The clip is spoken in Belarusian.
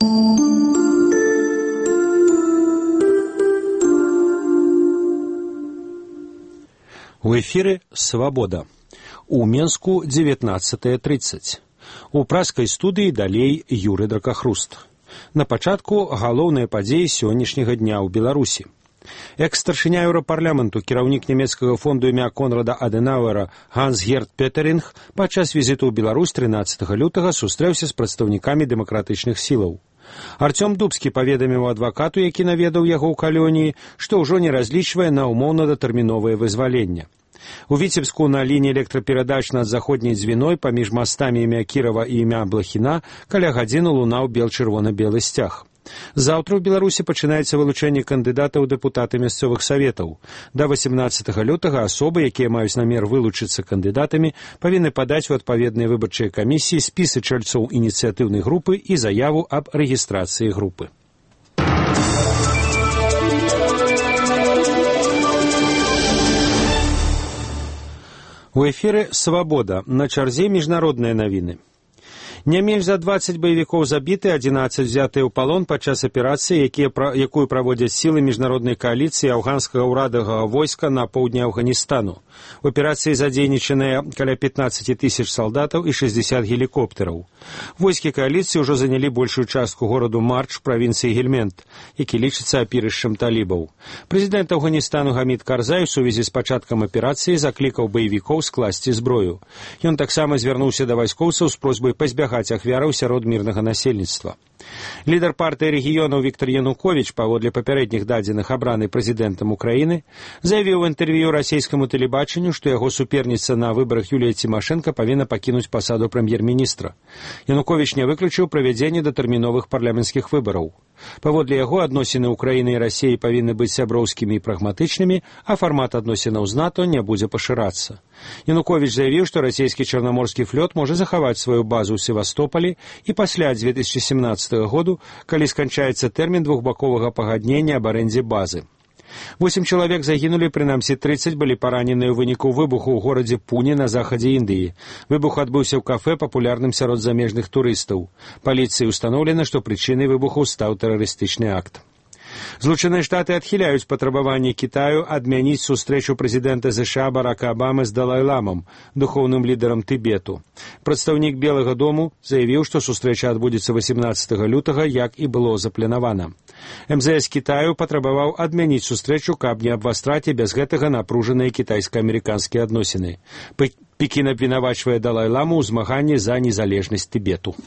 У эфіры «Свабода». У Менску 19:30. У пражскай студыі далей Юры Дракахруст. На пачатку галоўныя падзеі сённяшняга дня ў Беларусі. Экс-старшыня Еўрапарламенту, кіраўнік нямецкага фонду імя Конрада Адэнауэра Ганс-Герт Петеринг падчас візіту ў Беларусь 13 лютага сустрэўся з прадстаўнікамі дэмакратычных сілаў. Артём Дубскі паведаміў адвакату, які наведаў яго ў калоніі, што ўжо не разлічвае на ўмоўна-датэрміновае вызваленне. У Віцебску на лініі электраперадач над заходняй дзвіной паміж мастамі імя Кірава і імя Блахіна каля гадзіны лунаў бел-чырвона-белы сцяг. Заўтра ў Беларусі пачынаецца вылучэнне кандыдатаў у дэпутаты мясцовых саветаў. Да 18 лютага асобы, якія маюць намер вылучыцца кандыдатамі, павінны падаць у адпаведныя выбарчыя камісіі спісы чальцоў ініцыятыўнай групы і заяву аб рэгістрацыі групы. У эфіры «Свабода». На чарзе міжнародныя навіны. Не менш за 20 баевікоў забіты, 11 взятыя ў палон падчас аперацыі, якую праводзяць сілы міжнароднай кааліцыі афганскага ўрадавага войска на поўдні Афганістану. У аперацыі задзейнічаныя каля 15 000 салдатаў і 60 гелікоптэраў. Войскі кааліцыі ўжо занялі большую частку гораду Марч правінцыі Гельмент, які лічыцца апірышчам талібаў. Прэзідэнт Афганістану Гамід Карзай у сувязі з пачаткам аперацыі заклікаў баевікоў скласці зброю. Ён таксама звярнуўся да вайскоўцаў з просьбай пазбягаць ахвяраў сярод мірнага насельніцтва. Лідар партыі рэгіёнаў Віктор Януковіч, паводле папярэдніх дадзеных абраны прэзідэнтам Украіны, заявіў у інтэрв'ю расійскаму тэлебачанню, што яго суперніца на выбарах Юлія Цімашэнка павінна пакінуць пасаду прэм'ер-міністра. Януковіч не выключыў правядзенне датэрміновых парламенцкіх выбараў. Паводле яго адносіны Украіны і Расіі павінны быць сяброўскімі і прагматычнымі, а фармат адносінаў з НАТО не будзе пашырацца. Януковіч заявіў, што расійскі чарнаморскі флот можа захаваць сваю базу ў Севастополі і пасля 2017 году, калі сканчаецца тэрмін двухбаковага пагаднення аб арэндзе базы. 8 чалавек загінулі, прынамсі 30 былі параненыя ў выніку выбуху ў горадзе Пуне на захадзе Індыі. Выбух адбыўся ў кафэ, папулярным сярод замежных турыстаў. Паліцыі ўстаноўлена, што прычынай выбуху стаў тэрарыстычны акт. Злучаныя Штаты адхіляюць патрабаванні Кітаю адмяніць сустрэчу прэзідэнта США Барака Абамы з Далай-ламам, духоўным лідарам Тыбету. Прадстаўнік Белага дому заявіў, што сустрэча адбудзецца 18 лютага, як і было запланавана. МЗС Кітаю патрабаваў адмяніць сустрэчу, каб не абвастраць і без гэтага напружаныя кітайска-амерыканскія адносіны. Пекін абвінавачвае Далай-ламу ў змаганні за незалежнасць Тыбету.